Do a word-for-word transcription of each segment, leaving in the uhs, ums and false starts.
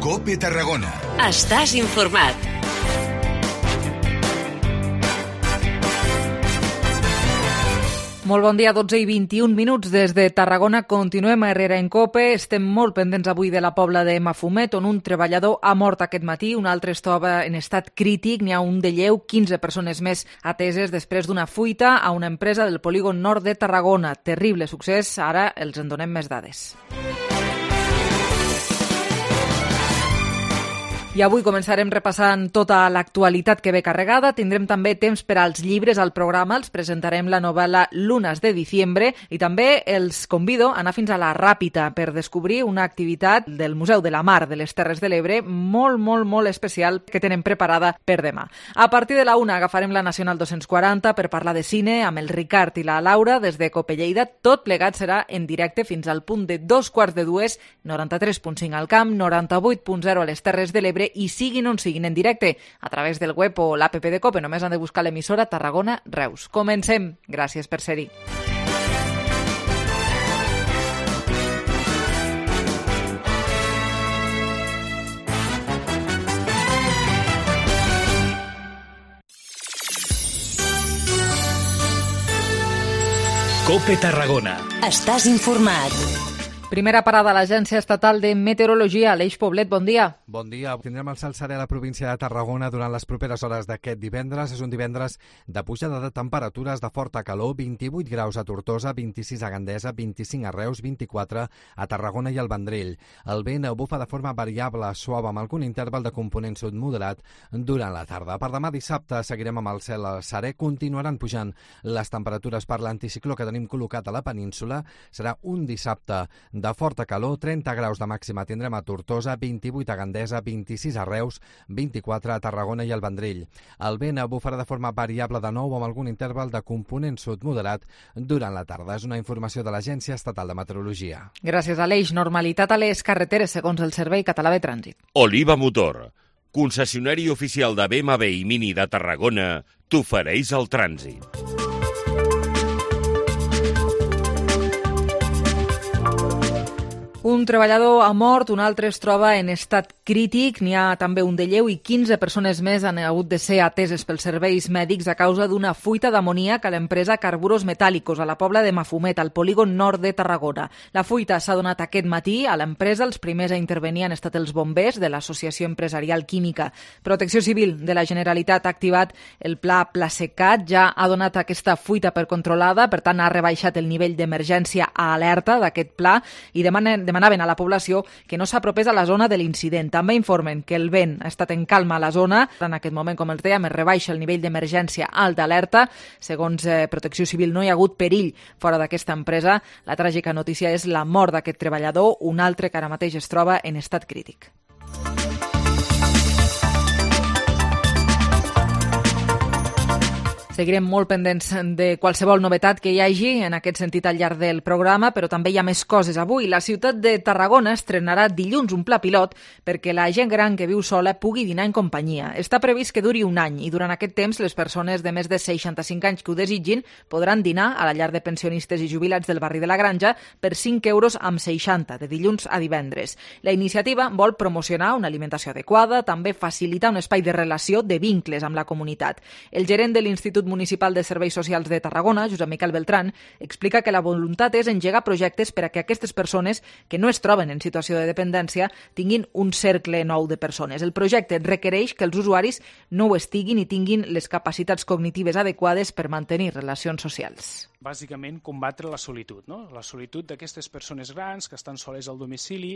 COPE Tarragona. Estàs informat. Molt bon dia, dotze i vint-i-un minuts des de Tarragona. Continuem a Herrera en COPE. Estem molt pendents avui de la Pobla de Mafumet, on un treballador ha mort aquest matí, un altre es troba en estat crític, n'hi ha un de lleu, quinze persones més ateses després d'una fuita a una empresa del polígon nord de Tarragona. Terrible succés, ara els en donem més dades. I avui començarem repassant tota l'actualitat que ve carregada. Tindrem també temps per als llibres al programa. Els presentarem la novel·la Lunas de diciembre i també els convido a anar fins a la Ràpita per descobrir una activitat del Museu de la Mar de les Terres de l'Ebre molt, molt, molt especial que tenen preparada per demà. A partir de la una agafarem la Nacional dos-cents quaranta per parlar de cine amb el Ricard i la Laura des de COPE Lleida. Tot plegat serà en directe fins al punt de dos quarts de dues, noranta-tres punt cinc al camp, noranta-vuit punt zero a les Terres de l'Ebre i siguin on siguin en directe a través del web o l'app de COPE. Només han de buscar l'emissora Tarragona Reus. Comencem. Gràcies per ser-hi. COPE Tarragona. Estàs informat. Primera parada a l'Agència Estatal de Meteorologia. Aleix Poblet, bon dia. Bon dia. Tindrem el cel serè a la província de Tarragona durant les properes hores d'aquest divendres. És un divendres de pujada de temperatures de forta calor, vint-i-vuit graus a Tortosa, vint-i-sis a Gandesa, vint-i-cinc a Reus, vint-i-quatre a Tarragona i al Vendrell. El vent bufa de forma variable, suau, amb algun interval de component sud moderat durant la tarda. Per demà dissabte seguirem amb el cel serè. Continuaran pujant les temperatures per l'anticicló que tenim col·locat a la península. Serà un dissabte de forta calor, trenta graus de màxima tindrem a Tortosa, vint-i-vuit a Gandesa, vint-i-sis a Reus, vint-i-quatre a Tarragona i al Vendrell. El vent bufarà de forma variable de nou amb algun interval de component sud moderat durant la tarda. És una informació de l'Agència Estatal de Meteorologia. Gràcies, Aleix. Normalitat a les carreteres, segons el Servei Català de Trànsit. Oliva Motor, concessionari oficial de B M W i Mini de Tarragona, t'ofereix el trànsit. Un treballador ha mort, un altre es troba en estat crític, n'hi ha també un de lleu i quinze persones més han hagut de ser ateses pels serveis mèdics a causa d'una fuita d'amoníac a l'empresa Carburos Metàl·licos a la Pobla de Mafumet, al polígon nord de Tarragona. La fuita s'ha donat aquest matí a l'empresa. Els primers a intervenir han estat els bombers de l'Associació Empresarial Química. Protecció Civil de la Generalitat ha activat el pla Plasecat, ja ha donat aquesta fuita per controlada, per tant ha rebaixat el nivell d'emergència a alerta d'aquest pla i demanen demanaven a la població que no s'apropés a la zona de l'incident. També informen que el vent ha estat en calma a la zona. En aquest moment, com els dèiem, es rebaixa el nivell d'emergència alt d'alerta. Segons eh, Protecció Civil, no hi ha hagut perill fora d'aquesta empresa. La tràgica notícia és la mort d'aquest treballador, un altre que ara mateix es troba en estat crític. Seguirem molt pendents de qualsevol novetat que hi hagi en aquest sentit al llarg del programa, però també hi ha més coses avui. La ciutat de Tarragona estrenarà dilluns un pla pilot perquè la gent gran que viu sola pugui dinar en companyia. Està previst que duri un any i durant aquest temps les persones de més de seixanta-cinc anys que ho desitgin podran dinar a la llar de pensionistes i jubilats del barri de la Granja per cinc euros amb seixanta, de dilluns a divendres. La iniciativa vol promocionar una alimentació adequada, també facilitar un espai de relació, de vincles amb la comunitat. El gerent de l'Institut Municipal de Serveis Socials de Tarragona, Josep Miquel Beltrán, explica que la voluntat és engegar projectes per a que aquestes persones que no es troben en situació de dependència tinguin un cercle nou de persones. El projecte requereix que els usuaris no ho estiguin i tinguin les capacitats cognitives adequades per mantenir relacions socials. Bàsicament, combatre la solitud, no? La solitud d'aquestes persones grans que estan soles al domicili,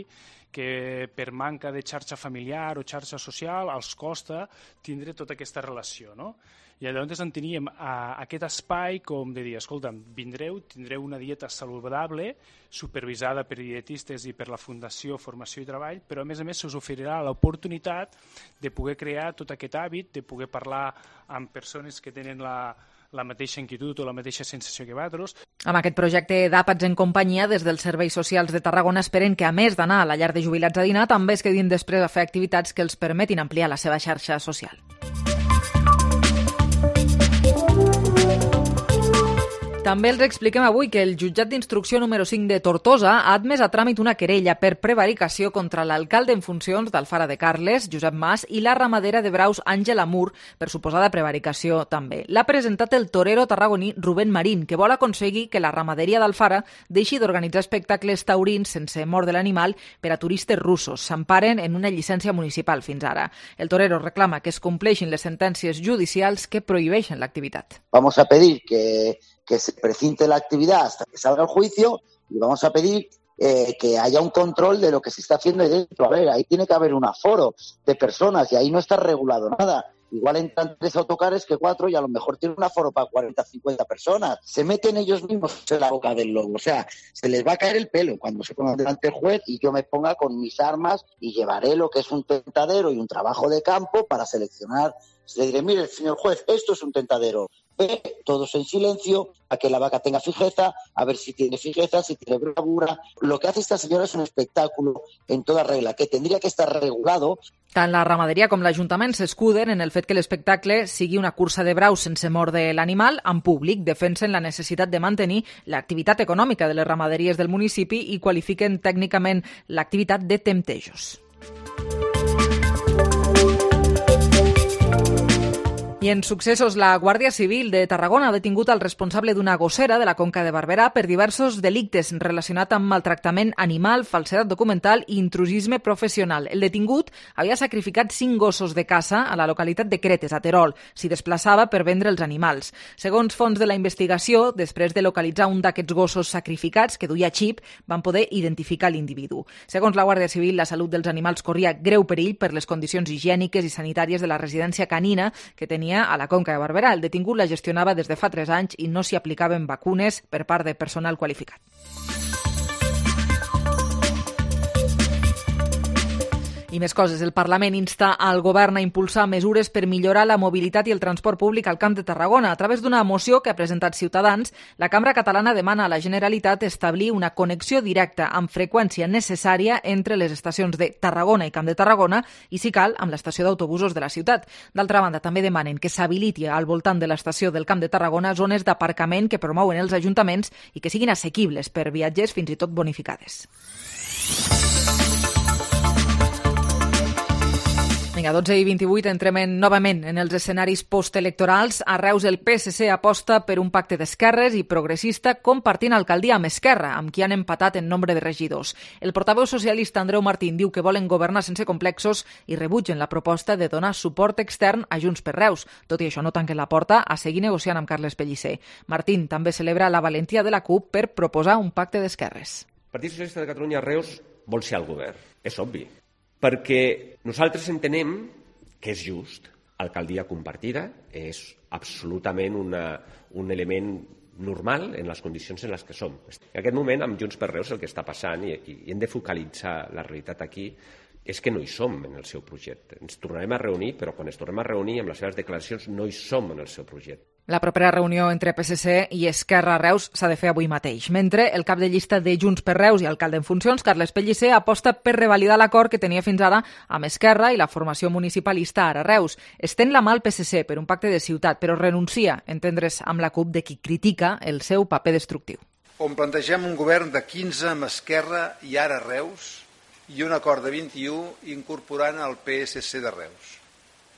que per manca de xarxa familiar o xarxa social els costa tindre tota aquesta relació, no? I llavors en teníem a, aquest espai com de dir, escolta'm, vindreu, tindreu una dieta saludable, supervisada per dietistes i per la Fundació Formació i Treball, però a més a més se us oferirà l'oportunitat de poder crear tot aquest hàbit, de poder parlar amb persones que tenen la, la mateixa inquietud o la mateixa sensació que vosaltres. Amb aquest projecte d'Àpats en companyia, des dels Serveis Socials de Tarragona esperen que, a més d'anar a la llar de jubilats a dinar, també es quedin després a fer activitats que els permetin ampliar la seva xarxa social. També els expliquem avui que el jutjat d'instrucció número cinc de Tortosa ha admès a tràmit una querella per prevaricació contra l'alcalde en funcions d'Alfara de Carles, Josep Mas, i la ramadera de braus Àngela Mur, per suposada prevaricació també. L'ha presentat el torero tarragoní Rubén Marín, que vol aconseguir que la ramaderia d'Alfara deixi d'organitzar espectacles taurins sense mort de l'animal per a turistes russos. S'emparen en una llicència municipal fins ara. El torero reclama que es compleixin les sentències judicials que prohibeixen l'activitat. Vamos a pedir que que se precinte la actividad hasta que salga el juicio y vamos a pedir eh, que haya un control de lo que se está haciendo ahí dentro. A ver, ahí tiene que haber un aforo de personas y ahí no está regulado nada. Igual entran tres autocares que cuatro y a lo mejor tiene un aforo para cuarenta, cincuenta personas. Se meten ellos mismos en la boca del lobo. O sea, se les va a caer el pelo cuando se pongan delante del juez y yo me ponga con mis armas y llevaré lo que es un tentadero y un trabajo de campo para seleccionar. Le diré, mire, señor juez, esto es un tentadero. Ve todos en silencio, a que la vaca tenga fijeza, a ver si tiene fijeza, si tiene bravura. Lo que hace esta señora es un espectáculo en toda regla, que tendría que estar regulado. Tant la ramaderia com l'Ajuntament s'escuden en el fet que l'espectacle sigui una cursa de braus sense mort de l'animal en públic, defensen la necessitat de mantenir l'activitat econòmica de les ramaderies del municipi i qualifiquen tècnicament l'activitat de temptejos. I en successos, la Guàrdia Civil de Tarragona ha detingut el responsable d'una gossera de la Conca de Barberà per diversos delictes relacionats amb maltractament animal, falsedat documental i intrusisme professional. El detingut havia sacrificat cinc gossos de caça a la localitat de Cretes, a Terol. S'hi desplaçava per vendre els animals. Segons fons de la investigació, després de localitzar un d'aquests gossos sacrificats, que duia xip, van poder identificar l'individu. Segons la Guàrdia Civil, la salut dels animals corria greu perill per les condicions higièniques i sanitàries de la residència canina que tenia a la Conca de Barberà. El detingut la gestionava des de fa tres anys i no s'hi aplicaven vacunes per part de personal qualificat. I més coses. El Parlament insta al govern a impulsar mesures per millorar la mobilitat i el transport públic al Camp de Tarragona. A través d'una moció que ha presentat Ciutadans, la Cambra Catalana demana a la Generalitat establir una connexió directa amb freqüència necessària entre les estacions de Tarragona i Camp de Tarragona i, si cal, amb l'estació d'autobusos de la ciutat. D'altra banda, també demanen que s'habiliti al voltant de l'estació del Camp de Tarragona zones d'aparcament que promouen els ajuntaments i que siguin assequibles per viatgers, fins i tot bonificades. Vinga, dotze i vint-i-vuit, entrem novament en els escenaris postelectorals. A Reus el P S C aposta per un pacte d'esquerres i progressista compartint alcaldia amb Esquerra, amb qui han empatat en nombre de regidors. El portaveu socialista Andreu Martín diu que volen governar sense complexos i rebutgen la proposta de donar suport extern a Junts per Reus. Tot i això, no tanquen la porta a seguir negociant amb Carles Pellicer. Martín també celebra la valentia de la CUP per proposar un pacte d'esquerres. El Partit Socialista de Catalunya a Reus vol ser al govern, és obvi. Perquè nosaltres entenem que és just. Alcaldia compartida és absolutament una, un element normal en les condicions en les que som. En aquest moment, amb Junts per Reus, el que està passant, i, i hem de focalitzar la realitat aquí, és que no hi som en el seu projecte. Ens tornarem a reunir, però quan ens tornem a reunir amb les seves declaracions no hi som en el seu projecte. La propera reunió entre P S C i Esquerra a Reus s'ha de fer avui mateix. Mentre el cap de llista de Junts per Reus i alcalde en funcions, Carles Pellicer, aposta per revalidar l'acord que tenia fins ara amb Esquerra i la formació municipalista ara a Reus. Estén la mà al P S C per un pacte de ciutat, però renuncia a entendre's amb la CUP de qui critica el seu paper destructiu. On plantegem un govern de quinze amb Esquerra i ara a Reus i un acord de vint-i-u incorporant el P S C de Reus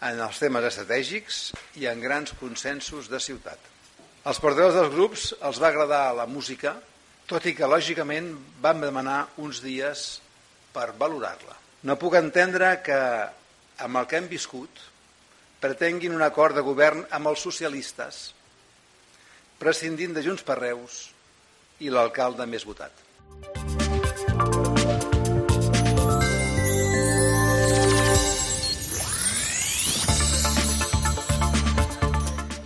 en els temes estratègics i en grans consensos de ciutat. Als portaveus dels grups els va agradar la música, tot i que, lògicament, vam demanar uns dies per valorar-la. No puc entendre que, amb el que hem viscut, pretenguin un acord de govern amb els socialistes, prescindint de Junts per Reus i l'alcalde més votat.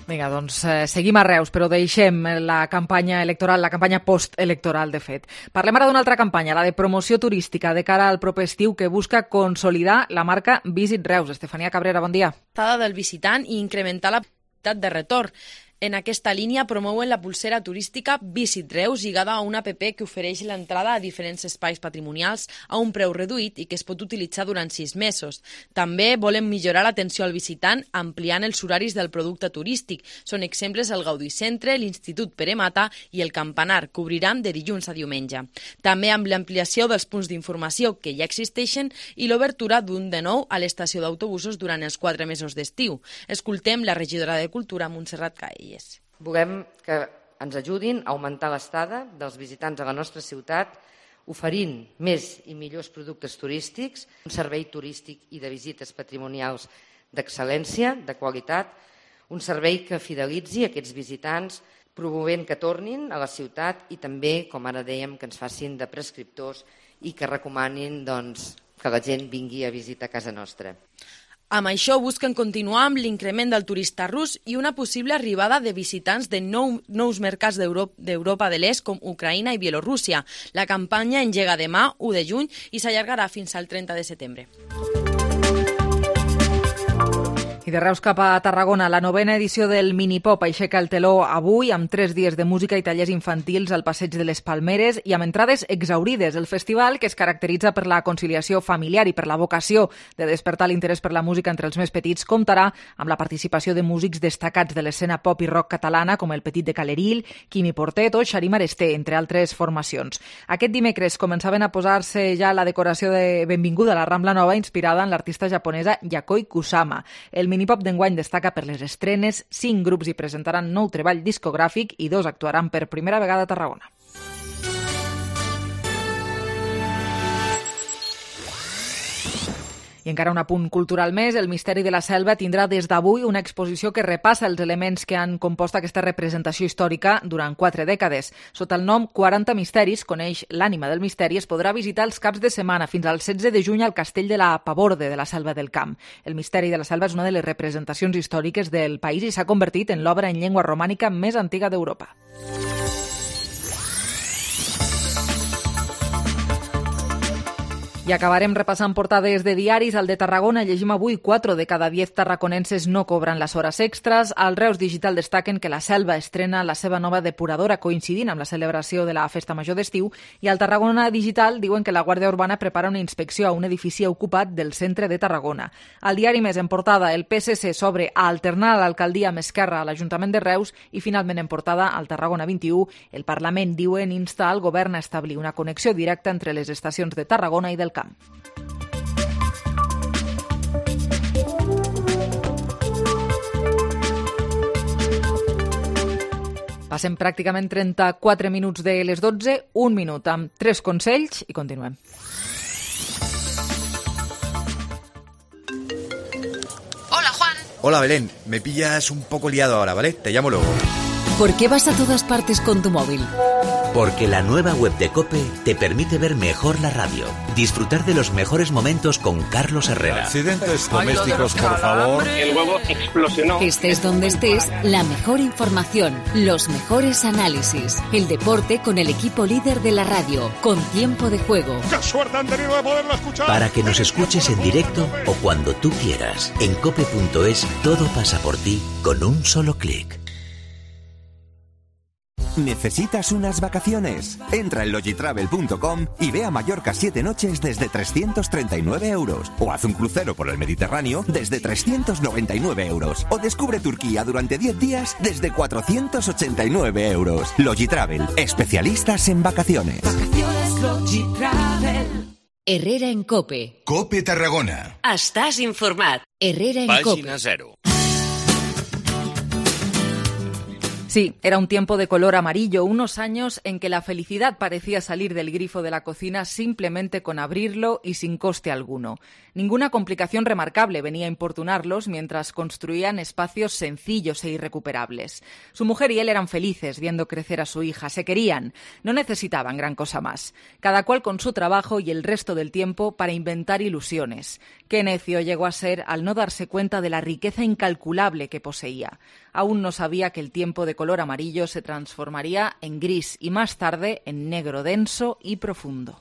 Vinga, doncs eh, seguim a Reus, però deixem la campanya electoral, la campanya postelectoral, de fet. Parlem ara d'una altra campanya, la de promoció turística de cara al proper estiu, que busca consolidar la marca Visit Reus. Estefania Cabrera, bon dia. Del visitant i incrementar la possibilitat de retorn. En aquesta línia promouen la pulsera turística Visit Reus, lligada a una app que ofereix l'entrada a diferents espais patrimonials a un preu reduït i que es pot utilitzar durant sis mesos. També volen millorar l'atenció al visitant ampliant els horaris del producte turístic. Són exemples el Gaudí Centre, l'Institut Pere Mata i el Campanar, que obriran de dilluns a diumenge. També amb l'ampliació dels punts d'informació que ja existeixen i l'obertura d'un de nou a l'estació d'autobusos durant els quatre mesos d'estiu. Escoltem la regidora de Cultura, Montserrat Caelles. Volem que ens ajudin a augmentar l'estada dels visitants a la nostra ciutat, oferint més i millors productes turístics, un servei turístic i de visites patrimonials d'excel·lència, de qualitat, un servei que fidelitzi aquests visitants, promovent que tornin a la ciutat i també, com ara dèiem, que ens facin de prescriptors i que recomanin doncs, que la gent vingui a visitar casa nostra. Amb això busquen continuar amb l'increment del turista rus i una possible arribada de visitants de nou, nous mercats d'Europa de l'Est com Ucraïna i Bielorússia. La campanya engega demà, u de juny, i s'allargarà fins al trenta de setembre. I de Reus cap a Tarragona, la novena edició del Minipop aixeca el teló avui amb tres dies de música i tallers infantils al Passeig de les Palmeres i amb entrades exhaurides. El festival, que es caracteritza per la conciliació familiar i per la vocació de despertar l'interès per la música entre els més petits, comptarà amb la participació de músics destacats de l'escena pop i rock catalana com el Petit de Caleril, Quimi Portet o Xarim Aresté, entre altres formacions. Aquest dimecres començaven a posar-se ja la decoració de benvinguda a la Rambla Nova inspirada en l'artista japonesa Yayoi Kusama. El Minipop d'enguany destaca per les estrenes, cinc grups hi presentaran nou treball discogràfic i dos actuaran per primera vegada a Tarragona. I encara un apunt cultural més, el Misteri de la Selva tindrà des d'avui una exposició que repassa els elements que han compost aquesta representació històrica durant quatre dècades. Sota el nom quaranta misteris, coneix l'ànima del misteri, es podrà visitar els caps de setmana fins al setze de juny al castell de la Paborde de la Selva del Camp. El Misteri de la Selva és una de les representacions històriques del país i s'ha convertit en l'obra en llengua romànica més antiga d'Europa. I acabarem repassant portades de diaris. Al de Tarragona llegim avui quatre de cada diez tarraconenses no cobran les hores extres. Al Reus Digital destaquen que la Selva estrena la seva nova depuradora coincidint amb la celebració de la Festa Major d'estiu i al Tarragona Digital diuen que la Guàrdia Urbana prepara una inspecció a un edifici ocupat del centre de Tarragona. Al diari Més en portada, el P S C s'obre a alternar l'alcaldia amb Esquerra a l'Ajuntament de Reus i finalment en portada al Tarragona vint-i-u, el Parlament, diuen, insta al govern a establir una connexió directa entre les estacions de Tarragona i del Camp. Passem pràcticament trenta-quatre minuts de les dotze, un minut amb tres consells i continuem. Hola, Juan. Hola, Belén. Me pillas un poco liado ahora, ¿vale? Te llamo luego. ¿Por qué vas a todas partes con tu móvil? Porque la nueva web de COPE te permite ver mejor la radio, disfrutar de los mejores momentos con Carlos Herrera. Accidentes domésticos, por favor. El huevo explosionó. Estés donde estés, la mejor información, los mejores análisis, el deporte con el equipo líder de la radio, con tiempo de juego. ¡Qué suerte han tenido de poderlo escuchar! Para que nos escuches en directo o cuando tú quieras. En cope punto es todo pasa por ti con un solo clic. ¿Necesitas unas vacaciones? Entra en logitravel punto com y ve a Mallorca siete noches desde trescientos treinta y nueve euros. O haz un crucero por el Mediterráneo desde trescientos noventa y nueve euros. O descubre Turquía durante diez días desde cuatrocientos ochenta y nueve euros. Logitravel, especialistas en vacaciones. Vacaciones Logitravel. Herrera en COPE. COPE Tarragona. Estàs informat. Herrera en COPE. Pàgina zero. Sí, era un tiempo de color amarillo, unos años en que la felicidad parecía salir del grifo de la cocina simplemente con abrirlo y sin coste alguno. Ninguna complicación remarcable venía a importunarlos mientras construían espacios sencillos e irrecuperables. Su mujer y él eran felices viendo crecer a su hija, se querían, no necesitaban gran cosa más. Cada cual con su trabajo y el resto del tiempo para inventar ilusiones. Qué necio llegó a ser al no darse cuenta de la riqueza incalculable que poseía. Aún no sabía que el tiempo de color amarillo se transformaría en gris y más tarde en negro denso y profundo.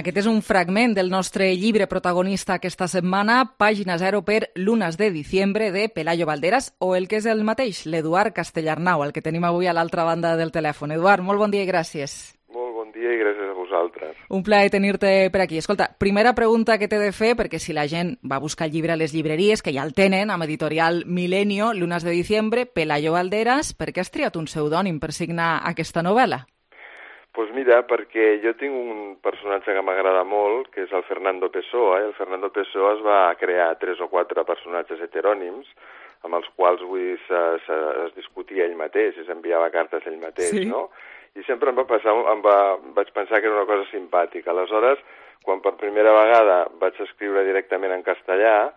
Aquest és un fragment del nostre llibre protagonista aquesta setmana, pàgina zero per Lunas de diciembre, de Pelayo Valderas, o el que és el mateix, l'Eduard Castellarnau, el que tenim avui a l'altra banda del telèfon. Eduard, molt bon dia i gràcies. Molt bon dia i gràcies a vosaltres. Un plaer tenir-te per aquí. Escolta, primera pregunta que t'he de fer, perquè si la gent va buscar el llibre a les llibreries, que ja el tenen, amb editorial Milenio, Lunas de diciembre, Pelayo Valderas, per què has triat un pseudònim per signar aquesta novel·la? Doncs pues mira, perquè jo tinc un personatge que m'agrada molt, que és el Fernando Pessoa. El Fernando Pessoa es va crear tres o quatre personatges heterònims, amb els quals vull, se, se, es discutia ell mateix, es enviava cartes ell mateix, sí. No? I sempre em va passar, em va, vaig pensar que era una cosa simpàtica. Aleshores, quan per primera vegada vaig escriure directament en castellà,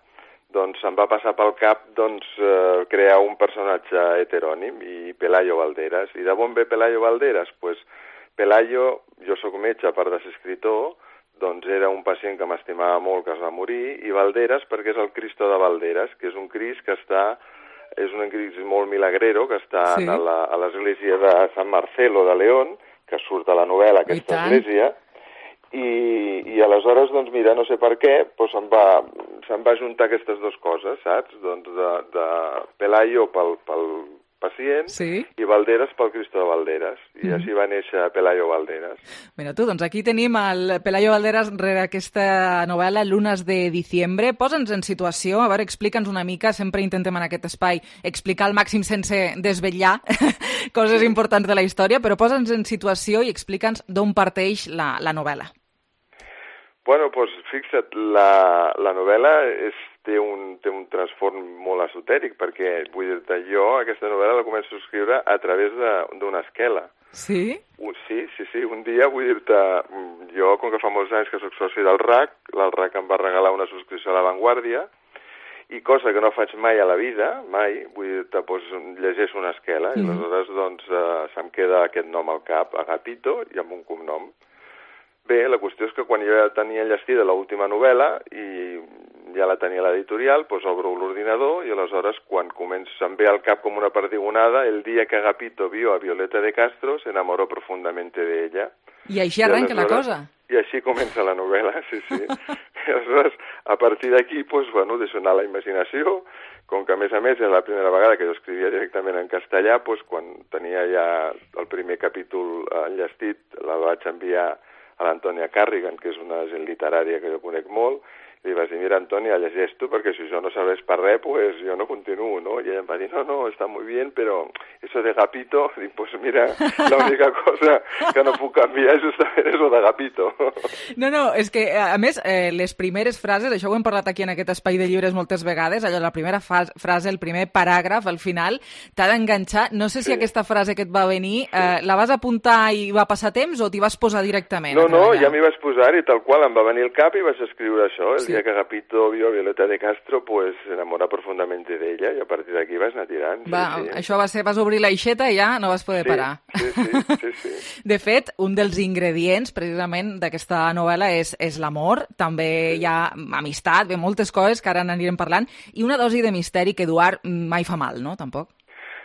doncs em va passar pel cap doncs, eh, crear un personatge heterònim, i Pelayo Valderas. I de on ve Pelayo Valderas? Pues, Pelayo, jo sóc metge, a part de ser escritor, doncs era un pacient que m'estimava molt, que es va morir, i Valderas perquè és el Cristo de Valderas, que és un Crist que està... és un Crist molt milagrero, que està sí. a l'església de Sant Marcelo de León, que surt a la novel·la, aquesta església, i, i aleshores, doncs mira, no sé per què, doncs se'm va, se'm va juntar aquestes dues coses, saps? Doncs de, de Pelayo pel, pel pacient sí. i Valderas pel Cristo de Valderas. I mm. així va néixer Pelayo Valderas. Mira tu, doncs aquí tenim el Pelayo Valderas rere aquesta novel·la Lunas de diciembre. Posa'ns en situació, a veure, explica'ns una mica, sempre intentem en aquest espai explicar al màxim sense desvetllar coses sí. importants de la història, però posa'ns en situació i explica'ns d'on parteix la, la novel·la. Bueno, doncs fixa't, la, la novel·la és, té, un, té un transform molt esotèric, perquè, vull dir-te, jo aquesta novel·la la començo a escriure a través d'una esquela. Sí? Un, sí, sí, sí. Un dia, vull dir-te, jo, com que fa molts anys que soc soci del R A C, el R A C em va regalar una subscripció a La Vanguardia, i cosa que no faig mai a la vida, mai, vull dir-te, doncs llegeixo una esquela, mm. i aleshores, doncs, eh, se'm queda aquest nom al cap, Agapito, i amb un cognom. Bé, la qüestió és que quan jo ja tenia enllestida l'última novel·la i ja la tenia a l'editorial, doncs obro l'ordinador i aleshores quan comença, em ve al cap com una perdigonada el dia que Agapito vio a Violeta de Castro se enamoró profundamente de ella. I així arrenca la cosa. I així comença la novel·la, sí, sí. I aleshores, a partir d'aquí, doncs, bueno, deixo anar la imaginació, com que a més a més era la primera vegada que jo escrivia directament en castellà, doncs quan tenia ja el primer capítol enllestit, la vaig enviar a l'Antònia Carrigan, que és una gent literària que jo conec molt, i li vaig dir, mira, Antònia, llegeix tu, perquè si jo no serveix per res, pues jo no continuo, no? I ella em va dir, no, no, està muy bien, però eso de Agapito, dic, pues mira, la única cosa que no puc canviar justament és lo de Agapito. No, no, és que, a més, eh, les primeres frases, això ho hem parlat aquí en aquest espai de llibres moltes vegades, allò, la primera frase, el primer paràgraf, al final, t'ha d'enganxar. No sé si sí. aquesta frase que et va venir, eh, la vas apuntar i va passar temps o t'hi vas posar directament? No, no, ja m'hi vaig posar i tal qual em va venir el cap i vaig escriure això, el sí. dia que Agapito vio a Violeta de Castro, pues se enamora profundamente de ella, i a partir d'aquí vas anar tirant. Va, sí, sí. Això va ser, vas obrir l'aixeta i ja no vas poder sí, parar. Sí, sí, sí, sí. De fet, un dels ingredients, precisament, d'aquesta novel·la és, és l'amor, també sí. hi ha amistat, bé, moltes coses que ara n'anirem parlant, i una dosi de misteri que, Eduard, mai fa mal, no?, tampoc?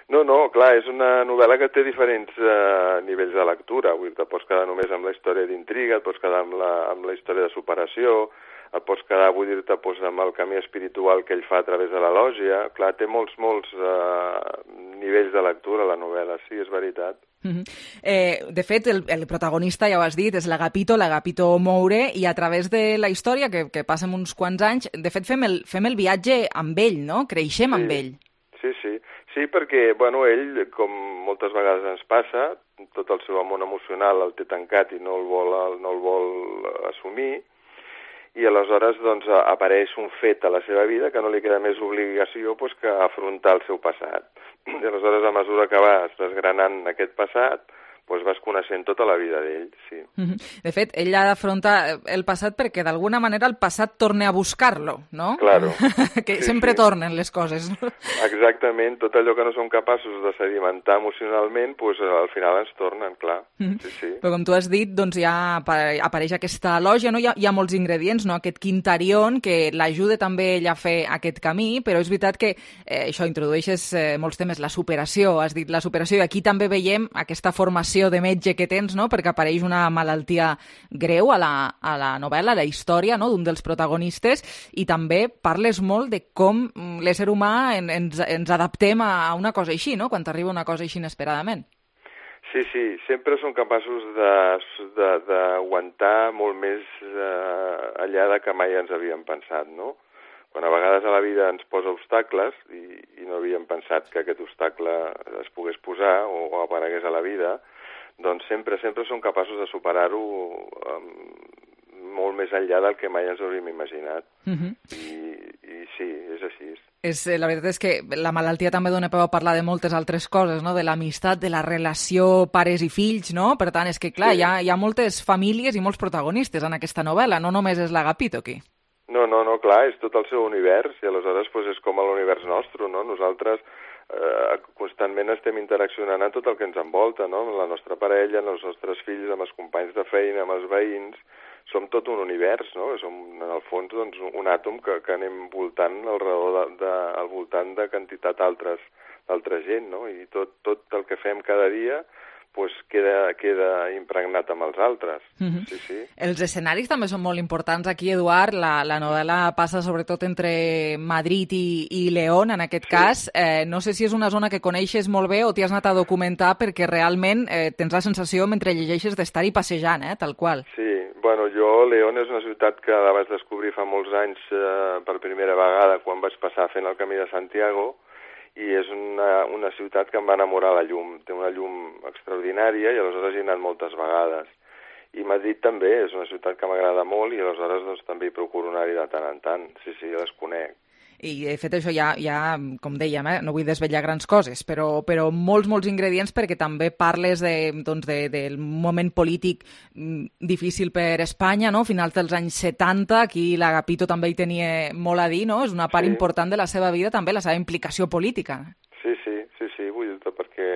No, no, clar, és una novel·la que té diferents eh, nivells de lectura. Vull dir, te pots quedar només amb la història d'intriga, et pots quedar amb la, amb la història de superació, et pots quedar, vull dir-te, doncs, amb el camí espiritual que ell fa a través de la lògia. Clar, té molts, molts eh, nivells de lectura, la novel·la, sí, és veritat. Uh-huh. eh, de fet, el, el protagonista, ja ho has dit, és l'Agapito, l'Agapito Moure, i a través de la història, que, que passa uns quants anys, de fet, fem el, fem el viatge amb ell, no? Creixem sí. amb ell. Sí, sí. Sí, perquè, bueno, ell, com moltes vegades ens passa, tot el seu món emocional el té tancat i no el vol, no el vol assumir, i aleshores doncs, apareix un fet a la seva vida que no li queda més obligació pues, que afrontar el seu passat. I aleshores, a mesura que vas desgranant aquest passat, doncs vas coneixent tota la vida d'ell, sí. De fet, ell ha d'afrontar el passat perquè d'alguna manera el passat torna a buscar-lo, no? Claro. que sí, sempre sí. tornen les coses. Exactament, tot allò que no som capaços de sedimentar emocionalment, doncs al final ens tornen, clar. Sí, sí. Però com tu has dit, doncs ja apareix aquesta lògia, no? Hi ha, hi ha molts ingredients, no? Aquest quintarion que l'ajuda també ell a fer aquest camí, però és veritat que eh, això introdueixes eh, molts temes, la superació, has dit la superació, i aquí també veiem aquesta formació formació de metge que tens, no?, perquè apareix una malaltia greu a la, a la novel·la, a la història, no?, d'un dels protagonistes, i també parles molt de com l'ésser humà en, ens, ens adaptem a una cosa així, no?, quan t'arriba una cosa així inesperadament. Sí, sí, sempre som capaços d'aguantar molt més eh, allà de que mai ens havíem pensat, no? Quan a vegades a la vida ens posa obstacles i, i no havíem pensat que aquest obstacle es pogués posar o, o aparegués a la vida, doncs sempre, sempre som capaços de superar-ho um, molt més enllà del que mai ens hauríem imaginat. Uh-huh. I, I sí, és així. És, la veritat és que la malaltia també dona peu a parlar de moltes altres coses, no?, de l'amistat, de la relació pares i fills, no? Per tant, és que, clar, sí. hi, ha, hi ha moltes famílies i molts protagonistes en aquesta novel·la, no només és l'Agapito aquí. No, no, no, clar, és tot el seu univers i aleshores pues, és com l'univers nostre, no? Nosaltres eh, constantment estem interaccionant amb tot el que ens envolta, no? Amb la nostra parella, amb els nostres fills, amb els companys de feina, amb els veïns. Som tot un univers, no? Som, en el fons, doncs, un àtom que, que anem voltant al, de, de, al voltant de quantitat d'altres d'altra gent, no? I tot, tot el que fem cada dia pues, queda, queda impregnat amb els altres. Mm-hmm. Sí, sí. Els escenaris també són molt importants aquí, Eduard. La, la novel·la passa sobretot entre Madrid i, i León, en aquest sí. cas. Eh, no sé si és una zona que coneixes molt bé o t'hi has anat a documentar perquè realment eh, tens la sensació, mentre llegeixes, d'estar-hi passejant, eh, tal qual. Sí, bueno, jo, León és una ciutat que la vaig descobrir fa molts anys eh, per primera vegada quan vaig passar fent el Camí de Santiago, i és una, una ciutat que em va enamorar la llum. Té una llum extraordinària i aleshores hi he anat moltes vegades. I Madrid també és una ciutat que m'agrada molt i aleshores doncs, també hi procuro anar-hi de tant en tant. Sí, sí, les conec. I de fet això ja, ja com dèiem, eh, no vull desvetllar grans coses, però, però molts, molts ingredients perquè també parles de, doncs de, del moment polític difícil per Espanya, no? Finals dels anys setanta, aquí l'Agapito també hi tenia molt a dir, no? És una part sí. important de la seva vida, també la seva implicació política. Sí, sí, sí, sí, vull dir-te perquè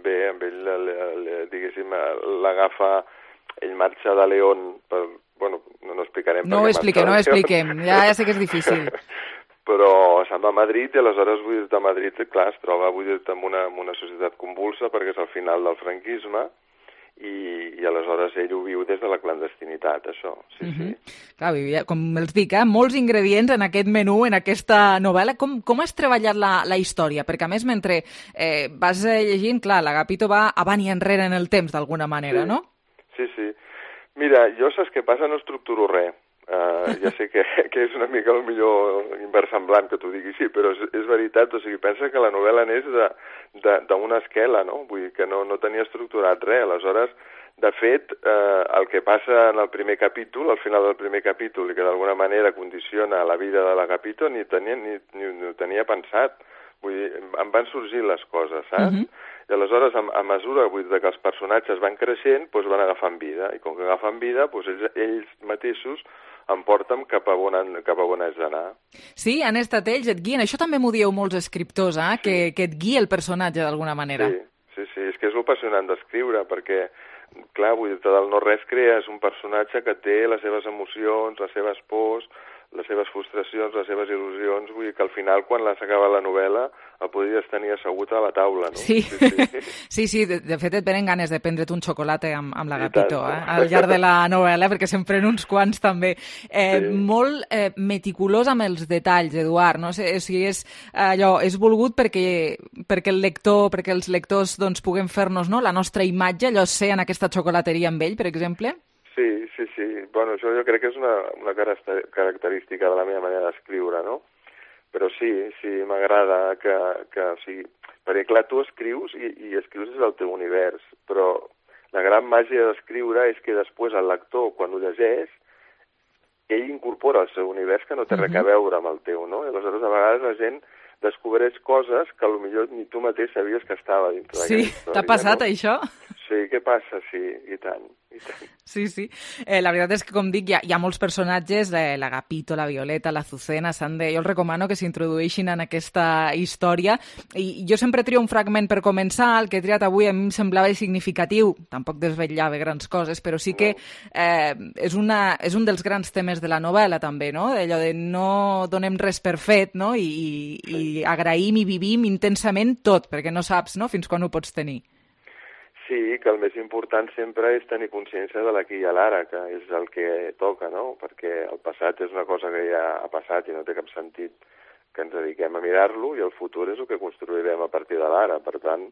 bé, amb ell, diguéssim, l'agafa, ell marxa de León, per, bueno, no, no explicarem. No ho expliquem, no ho expliquem, ja, ja sé que és difícil. Però se'n va a Madrid i aleshores, vull dir-te, a Madrid, clar, es troba, vull dir-te, en una, en una societat convulsa perquè és el final del franquisme i, i aleshores ell ho viu des de la clandestinitat, això, sí, uh-huh. sí. Clar, vivia, com els dic, eh, molts ingredients en aquest menú, en aquesta novel·la. Com, com has treballat la, la història? Perquè, a més, mentre eh, vas llegint, clar, l'Agapito va avant i enrere en el temps, d'alguna manera, sí. no? Sí, sí. Mira, jo saps què passa? No estructuro res. Uh, ja sé que, que és una mica el millor inversemblant que t'ho digui així, però és, és veritat, o sigui, pensa que la novel·la n'és d'una esquela, no? Vull dir que no, no tenia estructurat res, aleshores, de fet, eh, el que passa en el primer capítol, al final del primer capítol, i que d'alguna manera condiciona la vida de l'Agapito, ni, tenia, ni, ni, ni ho tenia pensat, vull dir, em van sorgir les coses, saps? Uh-huh. I aleshores, a, a mesura vull dir, que els personatges van creixent, doncs van agafant vida, i com que agafen vida, doncs ells, ells mateixos em porten cap a on, cap a on has d'anar. Sí, han estat ells, et guien. Això també m'ho dieu molts escriptors, eh? Sí. que, que et guia el personatge d'alguna manera. Sí, sí, sí, és que és apassionant d'escriure, perquè, clar, vull dir-te, del no-res crees un personatge que té les seves emocions, les seves pors, les seves frustracions, les seves il·lusions, vull dir que al final, quan s'acaba la novel·la, el podries tenir assegut a la taula, no? Sí, sí, sí, sí, sí de, de fet et venen ganes de prendre't un xocolata amb, amb l'Agapito, eh? Al llarg de la novel·la, perquè se'n pren uns quants també. Eh, sí. Molt eh, meticulós amb els detalls, Eduard, no sé si és allò, és volgut perquè, perquè el lector, perquè els lectors doncs, puguem fer-nos, no?, la nostra imatge, allò ser en aquesta xocolateria amb ell, per exemple? Sí, sí, sí. Bueno, això jo crec que és una, una característica de la meva manera d'escriure, no? Però sí, sí, m'agrada que, que, o sigui, perquè clar, tu escrius i, i escrius des del teu univers, però la gran màgia d'escriure és que després el lector, quan ho llegeix, ell incorpora el seu univers que no té res a veure amb el teu, no? I aleshores a vegades la gent descobreix coses que potser ni tu mateix sabies que estava dintre d'aquesta història. Sí, t'ha passat, no? Això? Sí, què passa? Sí, i tant, i tant. Sí, sí. Eh, la veritat és que, com dic, hi ha, hi ha molts personatges, eh, l'Agapito, la Violeta, l'Azucena, de... jo els recomano que s'introdueixin en aquesta història. I jo sempre trio un fragment per començar, el que he triat avui a mi em semblava significatiu, tampoc desvetllava grans coses, però sí que eh, és, una, és un dels grans temes de la novel·la, també, no? Allò de no donem res per fet, no? I, i, i agraïm i vivim intensament tot, perquè no saps, no?, fins quan ho pots tenir. sí, que el més important sempre és tenir consciència de l'aquí i a l'ara, que és el que toca, no? Perquè el passat és una cosa que ja ha passat i no té cap sentit que ens dediquem a mirar-lo, i el futur és el que construirem a partir de l'ara. Per tant,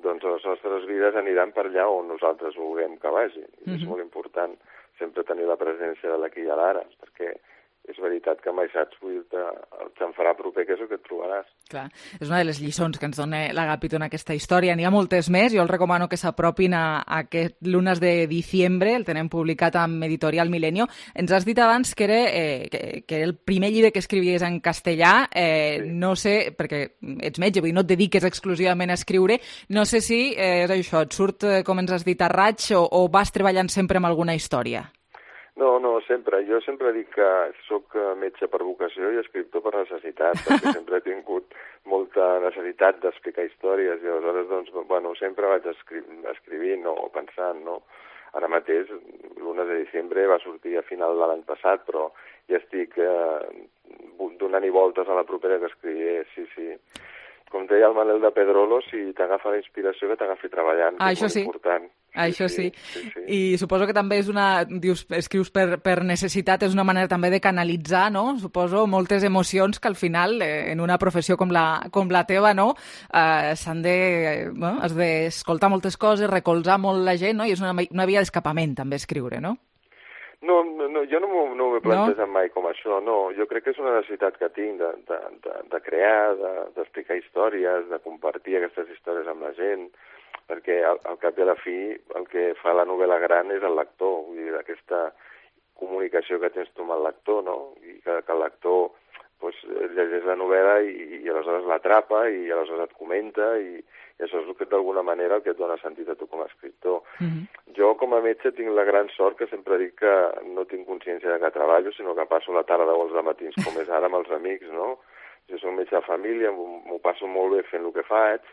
doncs les nostres vides aniran per allà on nosaltres vulguem que vagi. Mm-hmm. És molt important sempre tenir la presència de l'aquí i a l'ara, perquè és veritat que mai saps, vull dir-te, el que em farà proper que és el que et trobaràs. Clar, és una de les lliçons que ens dona l'Agapito en aquesta història. N'hi ha moltes més, jo els recomano que s'apropin a, a aquest Lunes de diciembre, el tenem publicat amb Editorial Milenio. Ens has dit abans que era, eh, que, que era el primer llibre que escrivies en castellà, eh, sí. No sé, perquè ets metge, vull dir, no et dediques exclusivament a escriure, no sé si eh, és això, et surt, eh, com ens has dit, a raig, o, o vas treballant sempre amb alguna història? No, no, sempre. Jo sempre dic que sóc metge per vocació i escriptor per necessitat, perquè sempre he tingut molta necessitat d'explicar històries i aleshores, doncs, bueno, sempre vaig escri escrivint o pensant, no? Ara mateix, l'u de desembre va sortir a final de l'any passat, però ja estic eh, donant-hi voltes a la propera que escriuré, sí, sí. Com deia el Manel de Pedrolo, si t'agafa la inspiració, que t'agafi treballant, ah, que és molt sí. important. Això sí. Sí, sí, sí. I suposo que també és una... Dius, escrius per, per necessitat, és una manera també de canalitzar, no? Suposo moltes emocions que al final, eh, en una professió com la, com la teva, no? Eh, s'han de... Eh, bueno, has d'escoltar moltes coses, recolzar molt la gent, no? I és una, una via d'escapament, també, escriure, no? No, no, jo no m'ho no m'he plantejat no? mai com això, no. Jo crec que és una necessitat que tinc de, de, de, de crear, d'explicar de, històries, de compartir aquestes històries amb la gent, perquè al, al cap i a la fi el que fa la novel·la gran és el lector, vull dir, aquesta comunicació que tens tu amb el lector, no? I que, que el lector pues, llegeix la novel·la i, i aleshores l'atrapa i aleshores et comenta i, i això és el que d'alguna manera el que et dona sentit a tu com a escriptor. Mm-hmm. Jo com a metge tinc la gran sort que sempre dic que no tinc consciència de que treballo, sinó que passo la tarda o els matins com és ara amb els amics, no? Jo soc metge de família, m'ho passo molt bé fent el que faig,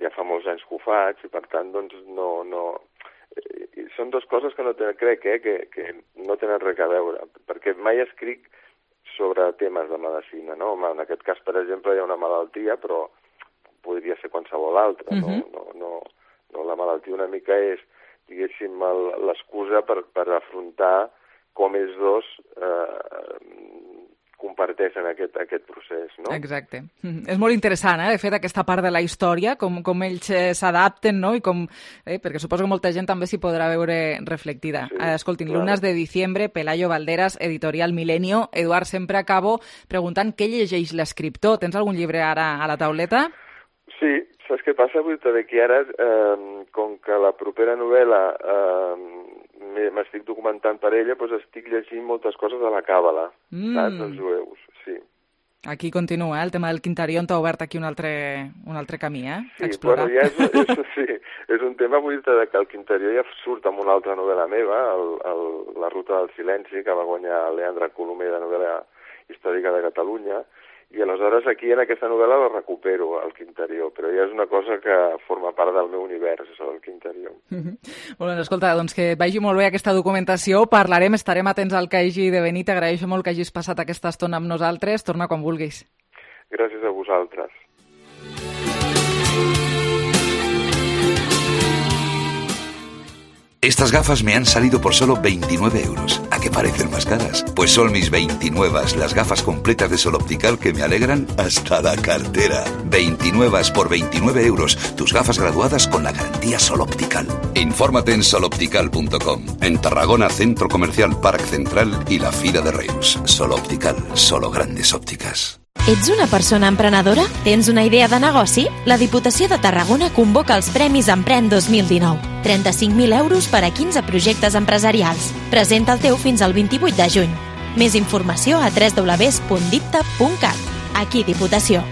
ja fa molts anys que ho faig i per tant doncs no... no... I són dues coses que no tenen, crec eh, que, que no tenen res a veure, perquè mai escric sobre temes de medicina, no? En aquest cas, per exemple, hi ha una malaltia, però podria ser qualsevol altra, uh-huh. no? No, no, no? La malaltia una mica és, diguéssim, l'excusa per, per afrontar com ells dos eh, comparteixen aquest, aquest procés, no? Exacte. Mm. És molt interessant, eh, de fet, aquesta part de la història, com, com ells s'adapten, no? I com, eh, perquè suposo que molta gent també s'hi podrà veure reflectida. Sí, Escoltin, claro. Lunes de diciembre, Pelayo Valderas, Editorial Milenio. Eduard, sempre acabo preguntant què llegeix l'escriptor. Tens algun llibre ara a la tauleta? Sí, saps què passa? Vull dir que ara, eh, com que la propera novel·la eh, m'estic documentant per ella, doncs estic llegint moltes coses de la Càbala, mm. saps, dels jueus, sí. Aquí continua, eh? El tema del Quintarion t'ha obert aquí un altre, un altre camí, eh? Sí, bueno, ja és, és, sí, és un tema, vull dir que el Quintarió ja surt amb una altra novel·la meva, el, el, La ruta del silenci, que va guanyar Leandre Colomer de novel·la històrica de Catalunya, i aleshores aquí en aquesta novel·la la recupero, el Quintarió, però ja és una cosa que forma part del meu univers, això del Quintarió. Mm-hmm. Molt bé, escolta, doncs que vagi molt bé aquesta documentació, parlarem, estarem atents al que hagi de venir, t'agraeixo molt que hagis passat aquesta estona amb nosaltres, torna quan vulguis. Gràcies a vosaltres. Estas gafas me han salido por solo veintinueve euros. ¿A qué parecen más caras? Pues son mis veintinueve, las gafas completas de Sol Optical que me alegran hasta la cartera. veintinueve por veintinueve euros. Tus gafas graduadas con la garantía Sol Optical. Infórmate en sol optical punto com. En Tarragona, Centro Comercial Parc Central y la Fira de Reus. Sol Optical, solo grandes ópticas. Ets una persona emprenedora? Tens una idea de negoci? La Diputació de Tarragona convoca els Premis Emprèn dos mil dinou. trenta-cinc mil euros per a quinze projectes empresarials. Presenta el teu fins al vint-i-vuit de juny. Més informació a w w w punt dipta punt cat. Aquí Diputació.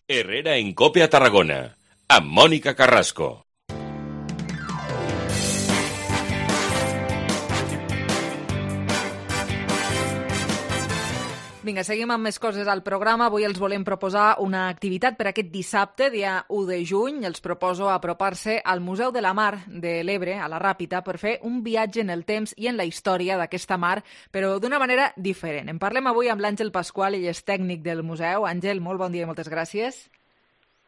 Herrera en Cope a Tarragona, amb Mònica Carrasco. Vinga, seguim amb més coses al programa. Avui els volem proposar una activitat per aquest dissabte, dia u de juny. Els proposo apropar-se al Museu de la Mar de l'Ebre, a la Ràpita, per fer un viatge en el temps i en la història d'aquesta mar, però d'una manera diferent. En parlem avui amb l'Àngel Pasqual, ell és tècnic del museu. Àngel, molt bon dia i moltes gràcies.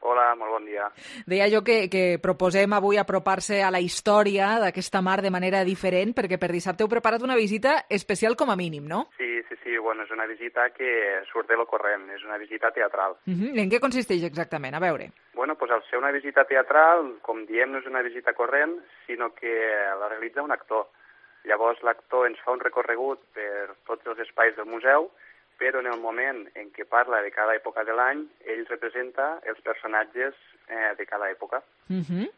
Hola, molt bon dia. Deia jo que, que proposem avui apropar-se a la història d'aquesta mar de manera diferent, perquè per dissabte heu preparat una visita especial com a mínim, no? Sí, sí, sí, bueno, és una visita que surt de lo corrent, és una visita teatral. Uh -huh. I en què consisteix exactament? A veure. Bueno, pues al ser una visita teatral, com diem, no és una visita corrent, sinó que la realitza un actor. Llavors l'actor ens fa un recorregut per tots els espais del museu, però en el moment en què parla de cada època de l'any, ell representa els personatges eh, de cada època. Uh -huh.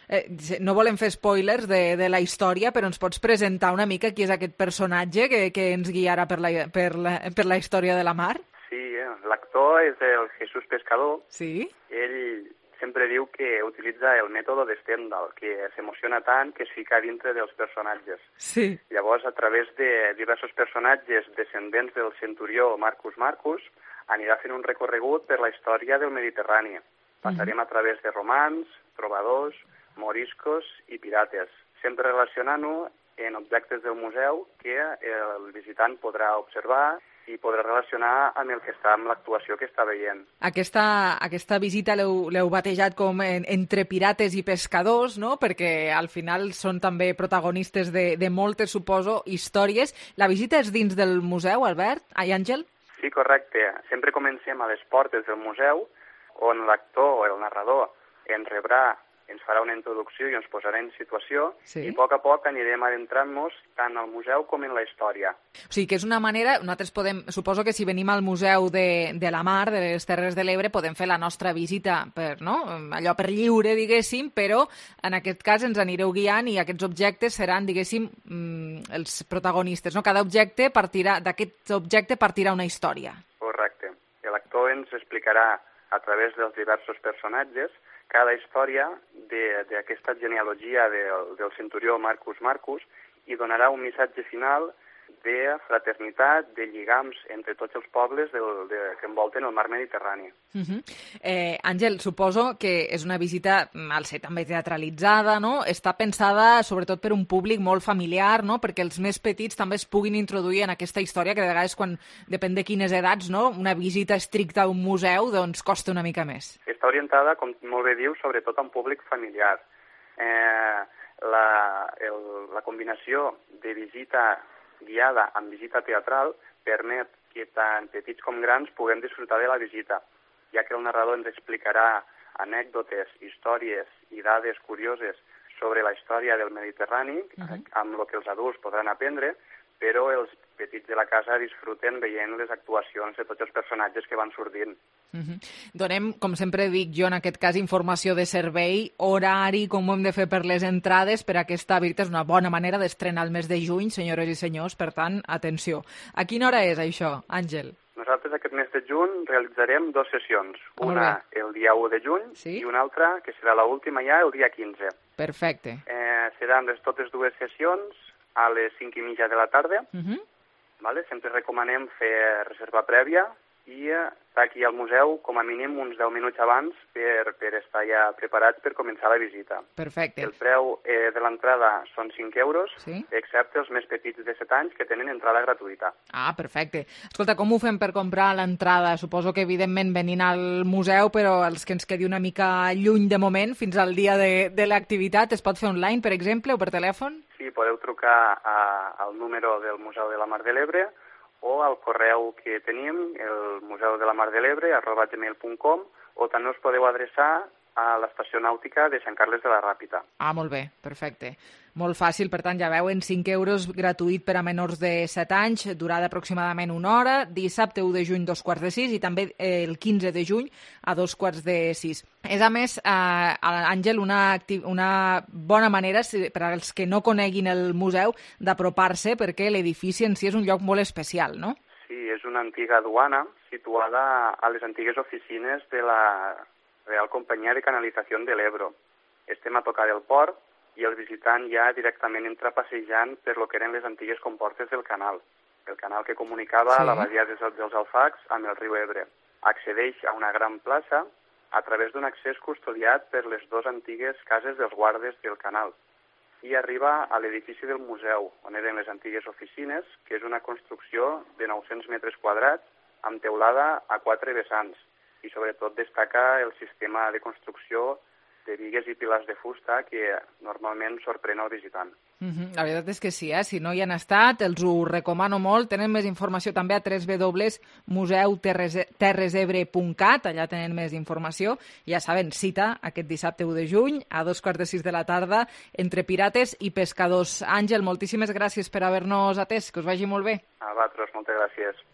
eh, no volem fer spoilers de, de la història, però ens pots presentar una mica qui és aquest personatge que, que ens guiarà per la, per, la, per la història de la mar? Sí, eh, l'actor és el Jesús Pescador. Sí? Ell sempre diu que utilitza el mètode de Stendhal, que s'emociona tant que es fica dintre dels personatges. Sí. Llavors, a través de diversos personatges descendents del centurió Marcus Marcus, anirà fent un recorregut per la història del Mediterrani. Passarem a través de romans, trobadors, moriscos i pirates, sempre relacionant-ho en objectes del museu que el visitant podrà observar i podrà relacionar amb el que està, amb l'actuació que està veient. Aquesta, aquesta visita l'heu batejat com en, entre pirates i pescadors, no? Perquè al final són també protagonistes de, de moltes, suposo, històries. La visita és dins del museu, Albert? Ai, Àngel? Sí, correcte. Sempre comencem a les portes del museu, on l'actor o el narrador ens rebrà, ens farà una introducció i ens posarà en situació, sí. I a poc a poc anirem adentrant-nos tant al museu com en la història. O sigui que és una manera, nosaltres podem, suposo que si venim al Museu de, de la Mar, de les Terres de l'Ebre, podem fer la nostra visita per, no? Allò per lliure, diguéssim, però en aquest cas ens anireu guiant i aquests objectes seran, diguéssim, els protagonistes, no? Cada objecte partirà, d'aquest objecte partirà una història. Correcte. L'actor ens explicarà a través dels diversos personatges cada història d'aquesta genealogia del, del centurió Marcus Marcus i donarà un missatge final de fraternitat, de lligams entre tots els pobles del, de, que envolten el mar Mediterrani. Uh -huh. eh, Àngel, suposo que és una visita, al ser també teatralitzada, no? Està pensada sobretot per un públic molt familiar, no? Perquè els més petits també es puguin introduir en aquesta història, que de vegades, quan depèn de quines edats, no? Una visita estricta a un museu doncs costa una mica més. Està orientada, com molt bé diu, sobretot a un públic familiar. Eh, la, el, la combinació de visita guiada amb visita teatral permet que tant petits com grans puguem disfrutar de la visita, ja que el narrador ens explicarà anècdotes, històries i dades curioses sobre la història del Mediterrani, uh-huh. amb el que els adults podran aprendre, però els petits de la casa disfruten veient les actuacions de tots els personatges que van sortint. Uh-huh. Donem, com sempre dic jo, en aquest cas, informació de servei, horari, com ho hem de fer per les entrades, per aquesta visita és una bona manera d'estrenar el mes de juny, senyores i senyors, per tant, atenció. A quina hora és això, Àngel? Nosaltres aquest mes de juny realitzarem dues sessions, una el dia u de juny sí? I una altra, que serà l'última ja, el dia quinze. Perfecte. Eh, seran les totes dues sessions a les cinc i mitja de la tarda. Uh-huh. Vale? Sempre recomanem fer reserva prèvia i estar aquí al museu com a mínim uns deu minuts abans per, per estar ja preparats per començar la visita. Perfecte. El preu eh, de l'entrada són cinc euros, sí? Excepte els més petits de set anys que tenen entrada gratuïta. Ah, perfecte. Escolta, com ho fem per comprar l'entrada? Suposo que evidentment venint al museu, però els que ens quedi una mica lluny de moment, fins al dia de, de l'activitat, es pot fer online, per exemple, o per telèfon? Sí, podeu trucar a, al número del Museu de la Mar de l'Ebre o al correu que tenim, el museu de la mar de l'Ebre, arroba gmail punt com, o també us podeu adreçar a l'estació nàutica de Sant Carles de la Ràpita. Ah, molt bé, perfecte. Molt fàcil, per tant, ja veuen, cinc euros gratuït per a menors de set anys, durada aproximadament una hora, dissabte u de juny, dos quarts de sis, i també el quinze de juny a dos quarts de sis. És, a més, eh, Àngel, una, una bona manera, per als que no coneguin el museu, d'apropar-se, perquè l'edifici en si és un lloc molt especial, no? Sí, és una antiga duana situada a les antigues oficines de la Real Companyia de Canalització de l'Ebro. Estem a tocar del port, i el visitant ja directament entra passejant per lo que eren les antigues comportes del canal, el canal que comunicava sí. la badia dels, dels Alfacs amb el riu Ebre. Accedeix a una gran plaça a través d'un accés custodiat per les dues antigues cases dels guardes del canal i arriba a l'edifici del museu, on eren les antigues oficines, que és una construcció de nou-cents metres quadrats amb teulada a quatre vessants i sobretot destaca el sistema de construcció de bigues i pilars de fusta que normalment sorprèn al visitant. Uh-huh. La veritat és que sí, eh? Si no hi han estat, els ho recomano molt. Tenen més informació també a w w w punt museu terres ebre punt cat, allà tenen més informació. Ja saben, cita aquest dissabte u de juny a dos quarts de sis de la tarda entre pirates i pescadors. Àngel, moltíssimes gràcies per haver-nos atès, que us vagi molt bé. A vosaltres, moltes gràcies.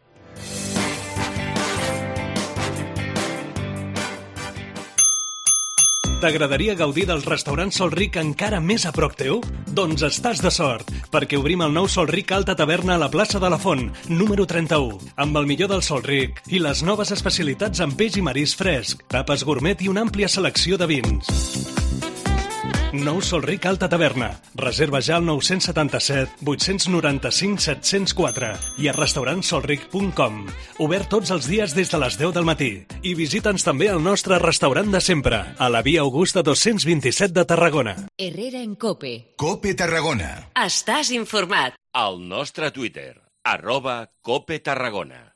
T'agradaria gaudir dels restaurants Sol Ric encara més a prop teu? Doncs estàs de sort, perquè obrim el nou Sol Ric Alta Taverna a la plaça de la Font, número trenta-u, amb el millor del Sol Ric i les noves especialitats en peix i marisc fresc, tapes gourmet i una àmplia selecció de vins. Nou Sol Ric Alta Taverna. Reserva ja al nou setanta-set vuit nou cinc set zero quatre i a restaurant solric punt com. Obert tots els dies des de les deu del matí. I visita'ns també al nostre restaurant de sempre, a la via Augusta dos-cents vint-i-set de Tarragona. Herrera en Cope. Cope Tarragona. Estàs informat. Al nostre Twitter, arroba Cope Tarragona.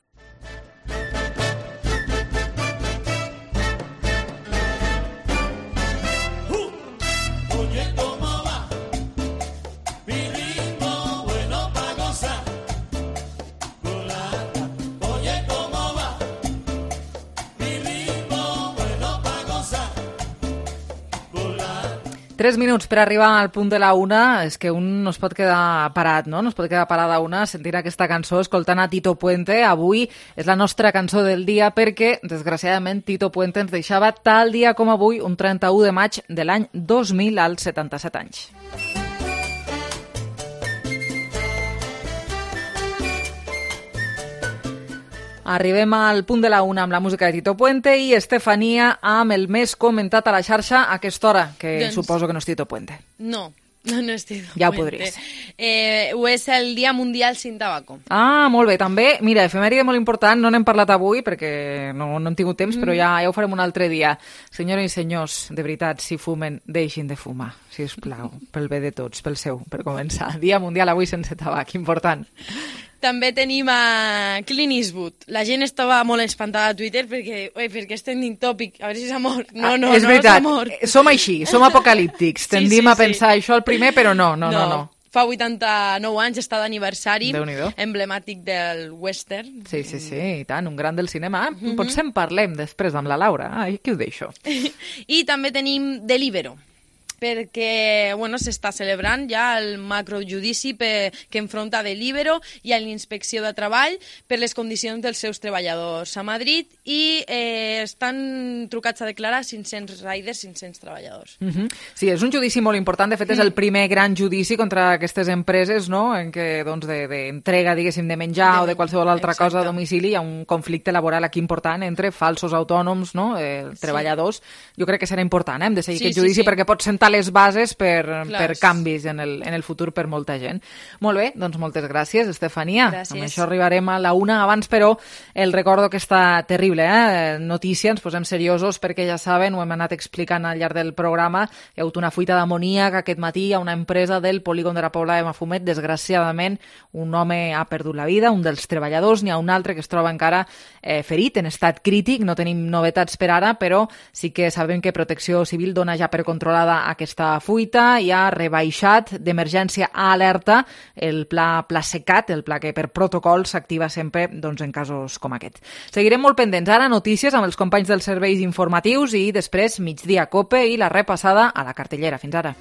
Tres minuts per arribar al punt de la una. És que un no es pot quedar parat, no? No es pot quedar parada una sentint aquesta cançó, escoltant a Tito Puente. Avui és la nostra cançó del dia perquè, desgraciadament, Tito Puente ens deixava tal dia com avui, un trenta-u de maig de l'any dos mil, als setanta-set anys. Arribem al punt de la una amb la música de Tito Puente i Estefania amb el més comentat a la xarxa a aquesta hora, que doncs... suposo que no és Tito Puente. No, no, no és Tito ja Puente. Ja ho podries. Eh, ho és el Dia Mundial sin Tabaco. Ah, molt bé. També, mira, efemèride molt important, no n'hem parlat avui perquè no, no hem tingut temps, mm. però ja, ja ho farem un altre dia. Senyores i senyors, de veritat, si fumen, deixin de fumar, si us plau, pel bé de tots, pel seu, per començar. Dia Mundial avui sense tabac, important. També tenim a Clint Eastwood. La gent estava molt espantada a Twitter perquè, oi, perquè és trending topic, a veure si és amor. No, no, ah, és no veritat. és amor. Som així, som apocalíptics. Tendim sí, sí, a pensar sí. això el primer, però no, no, no. no, no. Fa vuitanta-nou anys, està d'aniversari, emblemàtic del western. Sí, sí, sí, i tant, un gran del cinema. Mm-hmm. Potser en parlem després amb la Laura. Ai, aquí ho deixo. I també tenim Deliveroo, perquè bueno, s'està celebrant ja el macrojudici per, que enfronta Deliveroo i a l'Inspecció de Treball per les condicions dels seus treballadors a Madrid i eh, estan trucats a declarar cinc-cents riders, cinc-cents treballadors. Mm-hmm. Sí, és un judici molt important. De fet, és el primer gran judici contra aquestes empreses, no?, en què doncs, d'entrega, de, diguéssim, de menjar de, o de qualsevol altra exacte. cosa a domicili hi ha un conflicte laboral aquí important entre falsos autònoms, no?, eh, treballadors. Sí. Jo crec que serà important, eh? Hem de seguir sí, aquest judici sí, sí. perquè pot sentar les bases per, per canvis en el, en el futur per molta gent. Molt bé, doncs moltes gràcies, Estefania. Gràcies. Amb això arribarem a la una. Abans, però, el recordo que està terrible, eh? Notícia, ens posem seriosos perquè ja saben, ho hem anat explicant al llarg del programa, hi ha hagut una fuita d'amoníac aquest matí a una empresa del polígon de la Pobla de Mafumet. Desgraciadament, un home ha perdut la vida, un dels treballadors, n'hi ha un altre que es troba encara eh, ferit, en estat crític. No tenim novetats per ara, però sí que sabem que Protecció Civil dona ja per controlada aquesta fuita i ha rebaixat d'emergència a alerta el pla Plasecat, el pla que per protocol s'activa sempre doncs, en casos com aquest. Seguirem molt pendents. Ara notícies amb els companys dels serveis informatius i després migdia Cope i la repassada a la cartellera. Fins ara.